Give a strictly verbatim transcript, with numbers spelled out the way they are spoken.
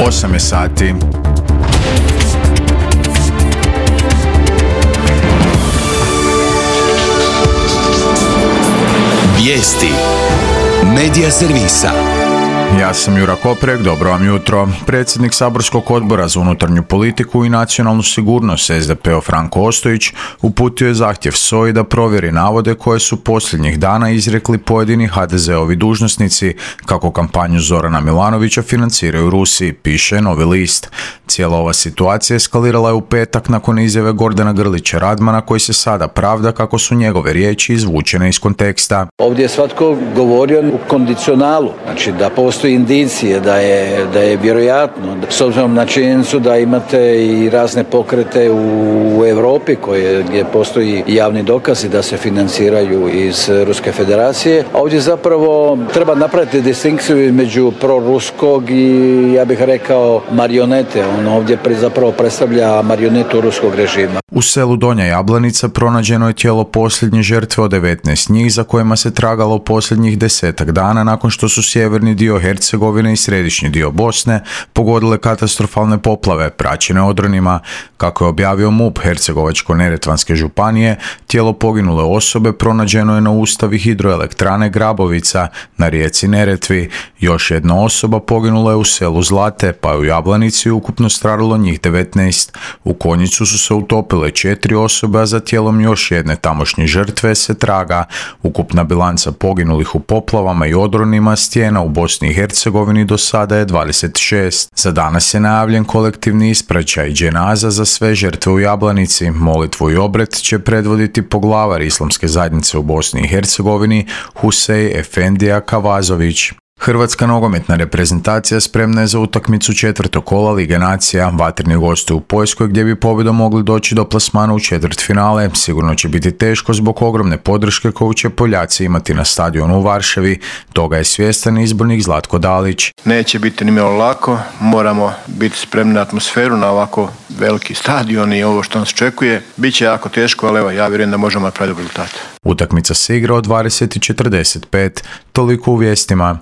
osam je sati. Vijesti Medija servisa. Ja sam Jura Koprek, dobro vam jutro. Predsjednik saborskog odbora za unutarnju politiku i nacionalnu sigurnost es de pe Franko Ostojić uputio je zahtjev S O A-i da provjeri navode koje su posljednjih dana izrekli pojedini ha de zeovi dužnosnici kako kampanju Zorana Milanovića financiraju Rusi, piše Novi list. Cijela ova situacija eskalirala je u petak nakon izjave Gordana Grlića Radmana koji se sada pravda kako su njegove riječi izvučene iz konteksta. Ovdje je svatko govorio u kondicionalu, znači da postoji indicije da je, da je vjerojatno, s obzirom na činjenicu da imate i razne pokrete u Europi koje, gdje postoji javni dokazi da se financiraju iz Ruske federacije. A ovdje zapravo treba napraviti distinkciju između proruskog i, ja bih rekao, marionete. On ovdje zapravo predstavlja marionetu ruskog režima. U selu Donja Jablanica pronađeno je tijelo posljednje žrtve od devetnaest njih za kojima se tragalo posljednjih desetak dana nakon što su sjeverni dio Hercegovine i središnji dio Bosne pogodile katastrofalne poplave praćene odronima. Kako je objavio MUP Hercegovačko-neretvanske županije, tijelo poginule osobe pronađeno je na ustavi hidroelektrane Grabovica na rijeci Neretvi. Još jedna osoba poginula je u selu Zlate, pa je u Jablanici ukupno stradalo njih devetnaest. U Konjicu su se utopile četiri osobe, a za tijelom još jedne tamošnje žrtve se traga. Ukupna bilanca poginulih u poplavama i odronima stijena u Bosni i Hercegovini do sada je dvadeset šest. Za danas je najavljen kolektivni ispraćaj dženaza za sve žrtve u Jablanici. Molitvu i obred će predvoditi poglavar islamske zajednice u Bosni i Hercegovini Husej Efendija Kavazović. Hrvatska nogometna reprezentacija spremna je za utakmicu četvrtog kola Lige nacija. Vatreni gostuju u Poljskoj gdje bi pobjedom mogli doći do plasmana u četvrtfinale. Sigurno će biti teško zbog ogromne podrške koju će Poljaci imati na stadionu u Varšavi. Toga je svjestan izbornik Zlatko Dalić. Neće biti nimalo lako, moramo biti spremni na atmosferu, na ovako veliki stadion i ovo što nas očekuje. Biće jako teško, ali evo, ja vjerujem da možemo napraviti rezultat. Utakmica se igra od dvadeset i četrdeset pet, toliko u vijestima.